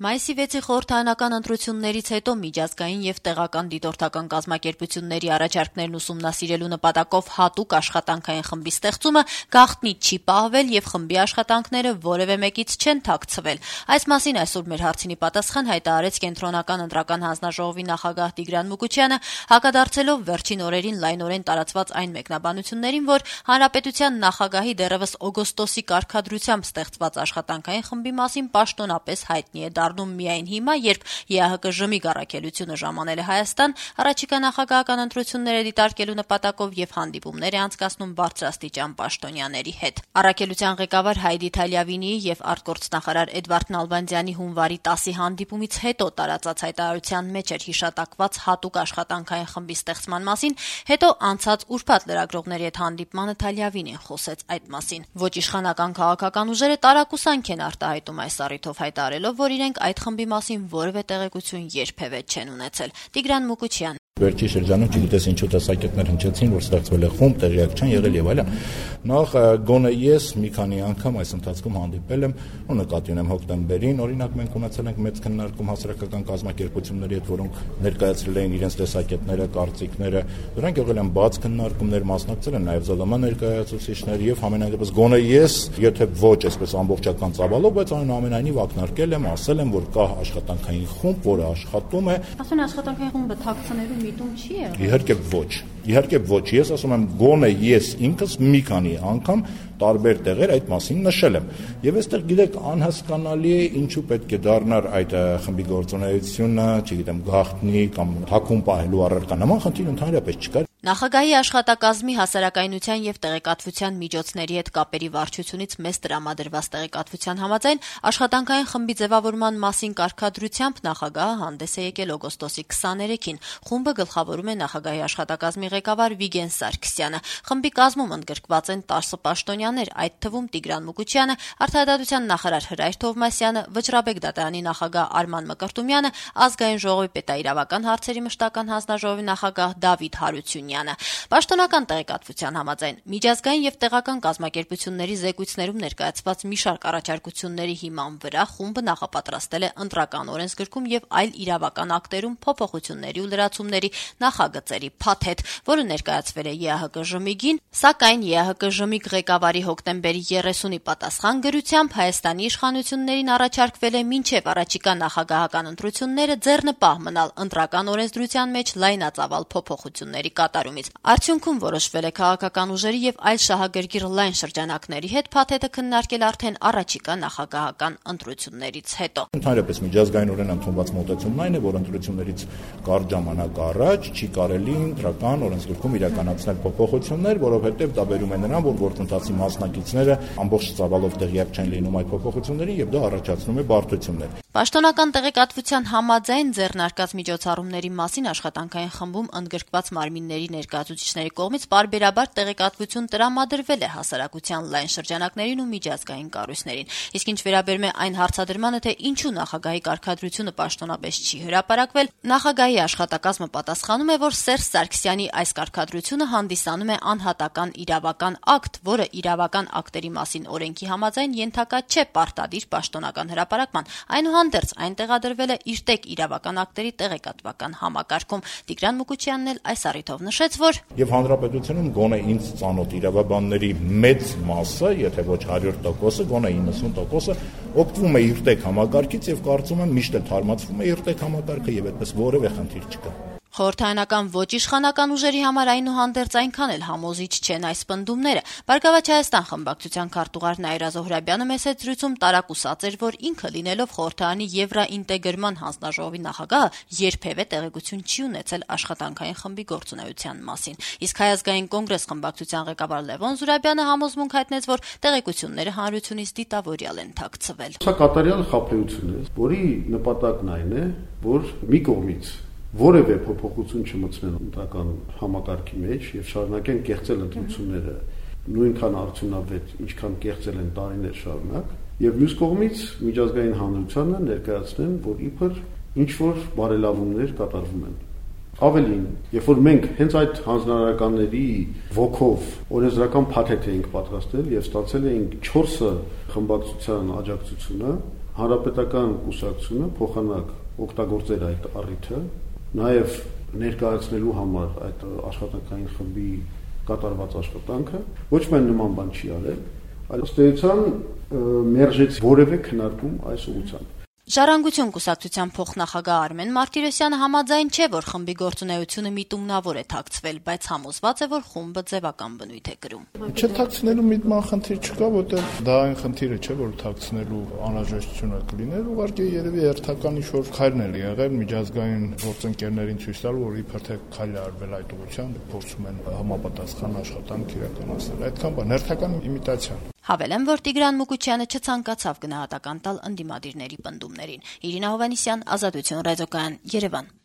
Մայիսի 6-ի խորհրդարանական ընտրություններից հետո միջազգային եւ տեղական դիտորդական կազմակերպությունների առաջարկներն ուսումնասիրելու նպատակով հատուկ աշխատանքային խմբի ստեղծումը գաղտնի չի պահվել եւ խմբի աշխատանքները որևէ մեկից չեն թաքցվել։ Այս մասին այսօր մեր հարցինի պատասխան հայտարարեց Կենտրոնական ընտրական հանձնաժողովի նախագահ Տիգրան Մուկուչյանը, հակադարձելով վերջին օրերին լայնորեն տարածված այն մեկնաբանություններին, որ Հանրապետության նախագահի դեռևս օգոստոսի կարգադրությամբ ստեղծված աշխատանքային խմբի մասին պաշտոնապես հայտնի է դառնում միայն հիմա, երբ ԵԱՀԿ-ի գարակելությունը ժամանել է Հայաստան, առաջիկա նախագահական ընտրությունները դիտարկելու նպատակով եւ հանդիպումներ է անցկացնում բարձրաստիճան պաշտոնյաների հետ։ Առաքելության ղեկավար Հայդի Թալյավինիի եւ արտգործնախարար Էդվարդ Նալբանդյանի հունվարի 10-ի հանդիպումից հետո տարածած հայտարարության մեջ էր հիշատակված հատուկ աշխատանքային խմբի ստեղծման մասին, հետո անցած ուրբաթ լրագրողների հետ հանդիպմանը Թալյավինին խոսեց այդ մասին։ Ոչ իշխանական քաղաքական ուժերը տարակուսանք են արտահայտում այս առիթով, հայտարարելով, որ իրենք այդ խմբի մասին որևէ տեղեկություն երբևէ չեն ունեցել։ Տիգրան Մուկուչյան Վերջի շրջանում չգիտես ինչու տեսակետներ հնչեցին, որ ստեղծվել է խումբ, տեղյակ չեն եղել եւ այլն։ Նախ գոնե ես մի քանի անգամ այս ընթացքում հանդիպել եմ ու նկատի ունեմ հոկտեմբերին, օրինակ մենք ունեցել ենք մեծ քննարկում հասարակական կազմակերպությունների հետ, որոնք ներկայացրել էին իրենց տեսակետները, կարծիքները, դրանք եղել են բաց քննարկումներ, մասնակցել են նաեւ ԶԼՄ ներկայացուցիչներ եւ համենայնդեպս գոնե ես, եթե ոչ այսպես ամբողջական ծավալով, բայց այնուամենայնիվ ակնարկել եմ, ասել եմ, որ կա աշխատանքային խումբ, որը աշխատում է։ Ասում աշխատանքային խումբը թաքցնելու միտում չի եղել։ Իհարկե ոչ, ես ասում եմ գոնե ես ինքս մի քանի անգամ տարբեր տեղեր այդ մասին նշել եմ։ Եվ այստեղ գիտեք անհասկանալի է ինչու պետք է դառնար այդ խմբի գործունեությունը, չգիտեմ, գաղտնի կամ թաքուն պահելու առարկա։ Նման խնդիր ընդհանրապես չկար։ Նախագահի աշխատակազմի հասարակայնության եւ տեղեկատվության միջոցների հետ կապերի վարչությունից մեծ տրամադրված տեղեկատվության համաձայն աշխատանքային խմբի ձևավորման մասին կարգադրությամբ նախագահը հանդես է եկել օգոստոսի 23-ին։ Խումբը գլխավորում է նախագահի աշխատակազմի ղեկավար Վիգեն Սարգսյանը։ Խմբի կազմում ընդգրկված են 10 պաշտոնյաներ, այդ թվում Տիգրան Մուկուչյանը, Արտադրության նախարար Հրայր Թովմասյանը, Վճռաբեկ դատարանի նախագահ Արման Մկրտումյանը, Ազգային ժողովի պետաիրավական հարցերի մշտական հանձնաժողովի նախագահ Դավիթ Հարությունյանը։ Պաշտոնական տեղեկատվության համաձայն միջազգային եւ տեղական կազմակերպությունների զեկույցներում ներկայացված մի շարք առաջարկությունների հիման վրա խումբը նախապատրաստել է ընտրական օրենսգրքում եւ այլ իրավական ակտերում փոփոխությունների ու լրացումների նախագծերի փաթեթ, որը ներկայացվել է ԵԱՀԿ-ին, սակայն ԵԱՀԿ-ի ղեկավարի հոկտեմբերի 30-ի պատասխան գրությամբ Հայաստանի իշխանություններին առաջարկվել է մինչեւ առաջիկա նախագահական ընտրությունները ձեռնպահ մնալ ընտրական օրենսդրության մեջ լայնածավալ փոփոխությունների կատարումից։ Արդյունքում որոշվել է քաղաքական ուժերի եւ այլ շահագրգիռ լայն շրջանակների հետ փաթեթը քննարկել արդեն առաջիկա նախագահական ընտրություններից հետո։ Ընդհանրապես միջազգայինորեն ընդունված մոտեցումն այն է, որ ընտրություններից կարճ ժամանակ առաջ չի կարելի ընտրական օրենսգրքում իրականացնել փոփոխություններ, որովհետեւ դա բերում է նրան, որ գործընթացի մասնակիցները ամբողջ ծավալով տեղյակ չեն լինում այդ փոփոխությունների եւ դա առաջացնում է բարդություններ։ Պաշտոնական տեղեկատվության համաձայն ձեռնարկած միջոցառումների մասին աշխատանքային խմբում ընդգրկված մարմինների ներկայացուցիչների կողմից պարբերաբար տեղեկատվություն տրամադրվել է հասարակության լայն շրջանակներին ու միջազգային կառույցներին։ Իսկ ինչ վերաբերում է այն հարցադրմանը, թե ինչու նախագահի կարգադրությունը պաշտոնապես չի հրապարակվել, նախագահի աշխատակազմը պատասխանում է, որ Սերժ Սարգսյանի այս կարգադրությունը հանդիսանում է անհատական իրավական ակտ, որը իրավական ակտերի մասին օրենքի համաձայն ենթակա չէ պարտադիր պաշտոնական հրապարակման։ Այնուհանդերձ այն տեղադրվել է իր տեղ իրավական ակտերի տեղեկատվական համակարգում։ Տիգրան Մուկուչյանն էլ այս առիթով նշեց, որ եւ հանրապետությունում գոնե ինձ ծանոթ իրավաբանների մեծ մասը, եթե ոչ 100%, գոնե 90% օգտվում է իր տեղ համակարգից եւ կարծում եմ միշտ էլ թարմացվում է իր տեղ համակարգը եւ այդպես որևէ խնդիր չկա։ Խորհրդարանական ոչ իշխանական ուժերի համար այնուհանդերձ այնքան էլ համոզիչ չեն այս պնդումները։ Բարգավաճ Հայաստան խմբակցության քարտուղար Նաիրա Զոհրաբյանը մեծ հետ զրույցում տարակուսած էր, որ ինքը լինելով խորհրդարանի եվրաինտեգրման հանձնաժողովի նախագահը երբևէ տեղեկություն չի ունեցել աշխատանքային խմբի գործունեության մասին։ Իսկ Հայ ազգային կոնգրես խմբակցության ղեկավար Լևոն Զուրաբյանը համոզմունք հայտնեց, որ տեղեկությունները հանրությունից դիտավորյալ են թաքցվել։ Սա կատարյալ խաբեություն է, որի նպատակն այն է, որ մի կողմից որևէ փոփոխություն չմտցնեն ընտրական համակարգի մեջ եւ շարունակեն կեղծել ընտրությունները նույնքան արդյունավետ, ինչքան կեղծել են տարիներ շարունակ, եւ մյուս կողմից միջազգային հանրությանը ներկայացնեն, որ իբր ինչ որ բարելավումներ կատարվում են։ Ավելին, երբ որ մենք հենց այդ հանձնարարականների ոգով օրենսդրական փաթեթ էինք պատրաստել եւ ստացել էինք 4 խմբակցության աջակցությունը, Հանրապետական կուսակցությունը փոխանակ օգտագործեր այդ առիթը, նաև ներկայացնելու համար այդ աշխատանքային խմբի կատարված աշխատանքը, ոչ միայն նման բան չի արել, այլ ըստ էության մերժեց որևէ քննարկում այս ուղղությամբ։ Ժառանգություն կուսակցության փոխնախագահ Արմեն Մարտիրոսյանը համաձայն չէ, որ խմբի գործունեությունը միտումնավոր է թաքցվել, բայց համոզված է, որ խումբը ձևական բնույթ է կրում։ Չթաքցնելու միտման խնդիր չկա, որտեղ դա այն խնդիրը չէ, որ թաքցնելու անհրաժեշտությունը կլիներ, ուղղակի երևի հերթական ինչ-որ քայլն է եղել միջազգային գործընկերներին ցույց տալ, որ իբր թե քայլ է արվել այդ ուղղությամբ, փորձում են համապատասխան աշխատանք իրականացնել։ Այդքան բան, հերթական իմիտացիա։ Հավելեմ, որ Տիգրան Մուկուչյանը չցանկացավ գնահատական տալ ընդդիմադիրների պնդումներին։ Իրինա Հովհաննիսյան, Ազատություն ռադիոկայան, Երևան։